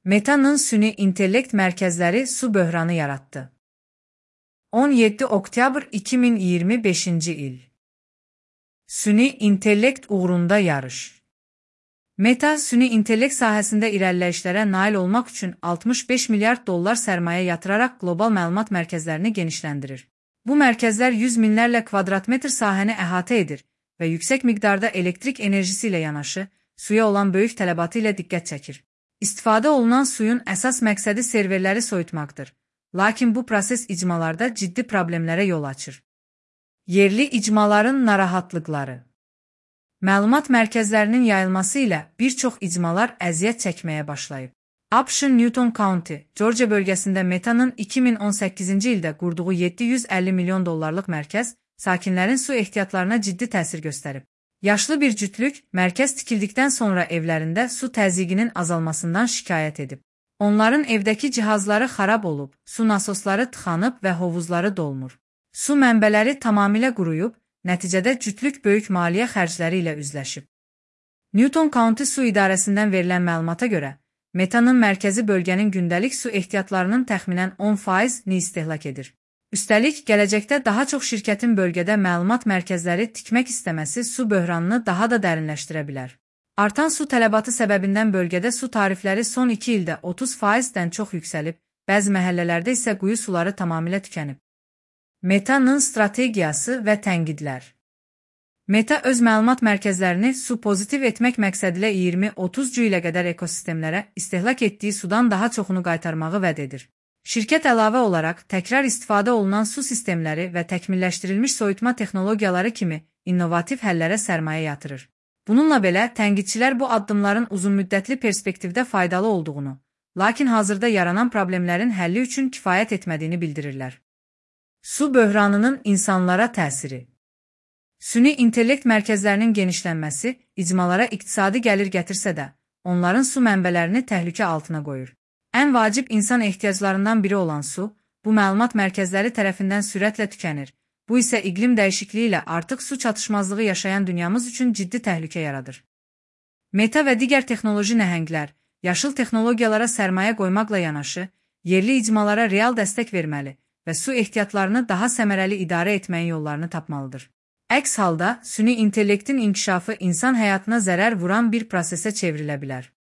Meta'nın süni intellekt mərkəzləri su böhranı yaratdı. 17 oktyabr 2025 il. Süni intellekt uğrunda yarış. Meta, süni intellekt sahəsində irəliləyişlərə nail olmaq üçün 65 milyard dollar sərmayə yatıraraq qlobal məlumat mərkəzlərini genişləndirir. Bu mərkəzlər 100 minlərlə kvadratmetr sahəni əhatə edir və yüksək miqdarda elektrik enerjisi ilə yanaşı, suya olan böyük tələbatı ilə diqqət çəkir. İstifadə olunan suyun əsas məqsədi serverləri soyutmaqdır, lakin bu proses icmalarda ciddi problemlərə yol açır. Yerli icmaların narahatlıqları. Məlumat mərkəzlərinin yayılması ilə bir çox icmalar əziyyət çəkməyə başlayıb. ABŞ Newton County, Georgia bölgəsində Meta'nın 2018-ci ildə qurduğu 750 milyon dollarlıq mərkəz sakinlərin su ehtiyatlarına ciddi təsir göstərib. Yaşlı bir cütlük, mərkəz tikildikdən sonra evlərində su təzyiqinin azalmasından şikayət edib. Onların evdəki cihazları xarab olub, su nasosları tıxanıb və hovuzları dolmur. Su mənbələri tamamilə quruyub, nəticədə cütlük böyük maliyyə xərcləri ilə üzləşib. Newton County Su İdarəsindən verilən məlumata görə, Meta'nın mərkəzi bölgənin gündəlik su ehtiyatlarının təxminən 10%-ni istehlak edir. Üstəlik, gələcəkdə daha çox şirkətin bölgədə məlumat mərkəzləri tikmək istəməsi su böhranını daha da dərinləşdirə bilər. Artan su tələbatı səbəbindən bölgədə su tarifləri son 2 ildə 30%-dən çox yüksəlib, bəzi məhəllələrdə isə quyu suları tamamilə tükənib. Meta'nın strategiyası və tənqidlər. Meta öz məlumat mərkəzlərini su pozitiv etmək məqsədilə 20-30 cü ilə qədər ekosistemlərə istehlak etdiyi sudan daha çoxunu qaytarmağı vəd edir. Şirkət əlavə olaraq təkrar istifadə olunan su sistemləri və təkmilləşdirilmiş soyutma texnologiyaları kimi innovativ həllərə sərmayə yatırır. Bununla belə, tənqidçilər bu addımların uzunmüddətli perspektivdə faydalı olduğunu, lakin hazırda yaranan problemlərin həlli üçün kifayət etmədiyini bildirirlər. Su böhranının insanlara təsiri. Süni intellekt mərkəzlərinin genişlənməsi icmalara iqtisadi gəlir gətirsə də, onların su mənbələrini təhlükə altına qoyur. Ən vacib insan ehtiyaclarından biri olan su, bu məlumat mərkəzləri tərəfindən sürətlə tükənir. Bu isə iqlim dəyişikliyi ilə artıq su çatışmazlığı yaşayan dünyamız üçün ciddi təhlükə yaradır. Meta və digər texnoloji nəhənglər, yaşıl texnologiyalara sərmayə qoymaqla yanaşı, yerli icmalara real dəstək verməli və su ehtiyatlarını daha səmərəli idarə etməyin yollarını tapmalıdır. Əks halda, süni intellektin inkişafı insan həyatına zərər vuran bir prosesə çevrilə bilər.